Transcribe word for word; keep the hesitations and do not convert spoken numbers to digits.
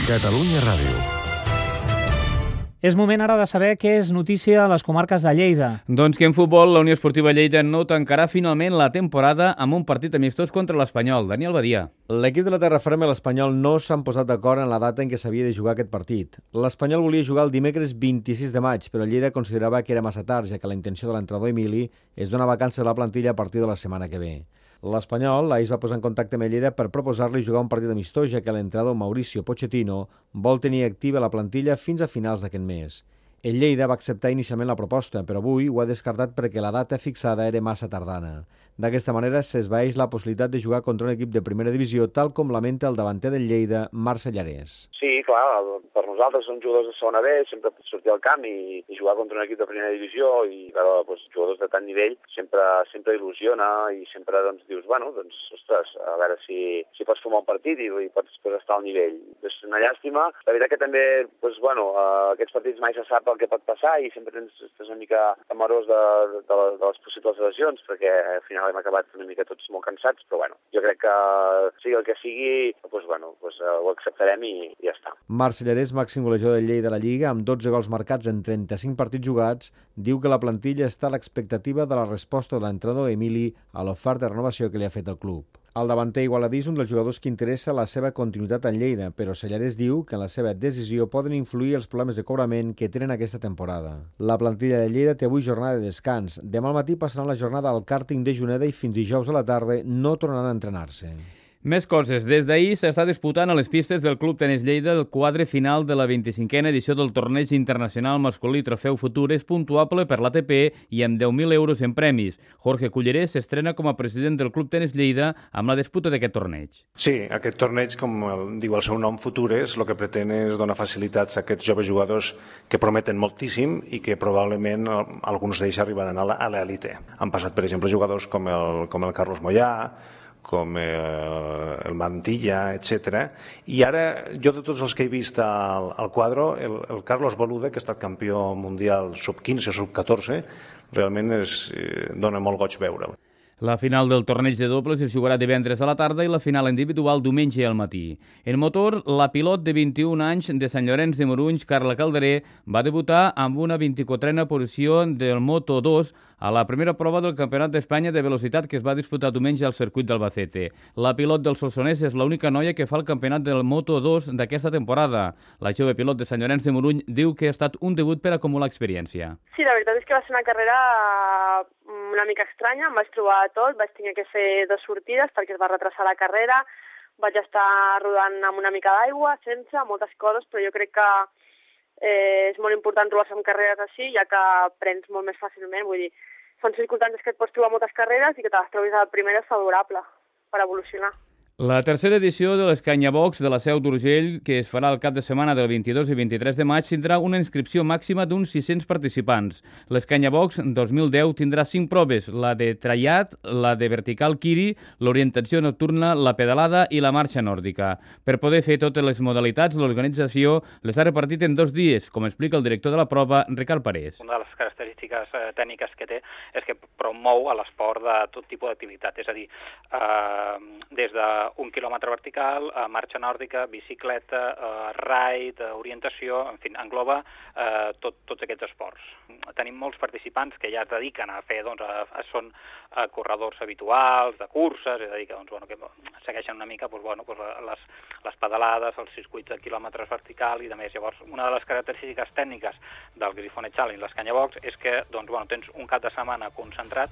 Catalunya Ràdio. És moment ara de saber què és notícia a les comarques de Lleida. Doncs que en futbol la Unió Esportiva Lleida no tancarà finalment la temporada amb un partit amistós contra l'Espanyol. Daniel Badia. L'equip de la terra ferma i l'Espanyol no s'han posat d'acord en la data en què s'havia de jugar aquest partit. L'Espanyol volia jugar el dimecres vint-i-sis de maig, però Lleida considerava que era massa tard, ja que la intenció de l'entrenador Emili és donar vacances a la plantilla a partir de la setmana que ve. L'Espanyol ahir es va posar en contacte amb Lleida per proposar-li jugar un partit amistós, ja que l'entrenador Mauricio Pochettino vol tenir activa la plantilla fins a finals d'aquest mes. El Lleida va acceptar inicialment la proposta, però avui ho ha descartat perquè la data fixada era massa tardana. D'aquesta manera s'esvaeix la possibilitat de jugar contra un equip de primera divisió, tal com lamenta el davanter del Lleida, Marc Sellarès. Sí, clar, per nosaltres som jugadors de segona B, sempre sortir al camp i, i jugar contra un equip de primera divisió i veure doncs, jugadors de tant nivell sempre sempre il·lusiona i sempre doncs, dius, bueno, doncs, ostres, a veure si, si pots formar un partit i, i pots, pots estar al nivell. És una llàstima. La veritat que també, doncs, bueno, uh, aquests partits mai se sap el que pot passar i sempre tens, estàs una mica amarós de, de, de, de les possibles lesions perquè al final hem acabat una mica tots molt cansats, però bueno, jo crec que sigui el que sigui, doncs, bueno, doncs, uh, ho acceptarem i, i ja està. Marc Sellarès, màxim golejador del Lleida de la Lliga, amb dotze gols marcats en trenta-cinc partits jugats, diu que la plantilla està a l'expectativa de la resposta de l'entrenador Emili a l'oferta de renovació que li ha fet el club. El davanter igualadí és un dels jugadors que interessa la seva continuïtat en Lleida, però Sellarès diu que en la seva decisió poden influir els problemes de cobrament que tenen aquesta temporada. La plantilla de Lleida té avui jornada de descans. Demà al matí passaran la jornada al càrting de Juneda i fins dijous a la tarda no tornaran a entrenar-se. Més coses. Des d'ahir s'està disputant a les pistes del Club Tenis Lleida el quadre final de la vint-i-cinquena edició del torneig internacional masculí Trofeu Futures, puntuable per l'A T P i amb deu mil euros en premis. Jorge Cullerés s'estrena com a president del Club Tenis Lleida amb la disputa d'aquest torneig. Sí, aquest torneig, com el, diu el seu nom, Futures, el que pretén és donar facilitats a aquests joves jugadors que prometen moltíssim i que probablement alguns d'ells arribaran a l'elite. Han passat, per exemple, jugadors com el, com el Carlos Moyà, com el, el Mantilla, etcètera. I ara, jo de tots els que he vist al, al quadro, el, el Carlos Boluda, que ha estat campió mundial sub quinze, sub catorze, realment es, eh, dona molt goig veure'l. La final del torneig de dobles es jugarà divendres a la tarda i la final individual diumenge al matí. En motor, la pilot de vint-i-un anys de Sant Llorenç de Morunys, Carla Calderé, va debutar amb una vint-i-quatrena posició del Moto dos a la primera prova del Campionat d'Espanya de velocitat que es va disputar diumenge al circuit d'Albacete. La pilot del Solsonès és l'única noia que fa el campionat del Moto dos d'aquesta temporada. La jove pilot de Sant Llorenç de Morunys diu que ha estat un debut per acumular experiència. Sí, la veritat és que va ser una carrera una mica estranya, em vaig trobar tot, vaig tenir que fer dues sortides perquè es va retrasar la carrera, vaig estar rodant amb una mica d'aigua, sense, moltes coses, però jo crec que eh, és molt important trobar-se en carreres així, ja que aprens molt més fàcilment, vull dir, són circumstàncies que et pots trobar moltes carreres i que te les trobis a la primera és favorable per evolucionar. La tercera edició de l'Escanyabox de la Seu d'Urgell, que es farà el cap de setmana del vint-i-dos i vint-i-tres de maig, tindrà una inscripció màxima d'uns sis-cents participants. L'Escanyabox dos mil deu tindrà cinc proves, la de traiat, la de vertical kiri, l'orientació nocturna, la pedalada i la marxa nòrdica. Per poder fer totes les modalitats, l'organització les ha repartit en dos dies, com explica el director de la prova, Ricard Parés. Una de les característiques eh, tècniques que té és que promou a l'esport de tot tipus d'activitat, és a dir, eh, des de un quilòmetre vertical, eh, marxa nòrdica, bicicleta, eh, raid, eh, orientació, en fi, engloba eh, tot, tots aquests esports. Tenim molts participants que ja es dediquen a fer, doncs, a, a, són a corredors habituals, de curses, és a dir, que, doncs, bueno, que segueixen una mica doncs, bueno, doncs, les, les pedalades, els circuits de quilòmetres vertical i de més. Llavors, una de les característiques tècniques del Grifone Challenge, l'Escanyabox, és que doncs, bueno, tens un cap de setmana concentrat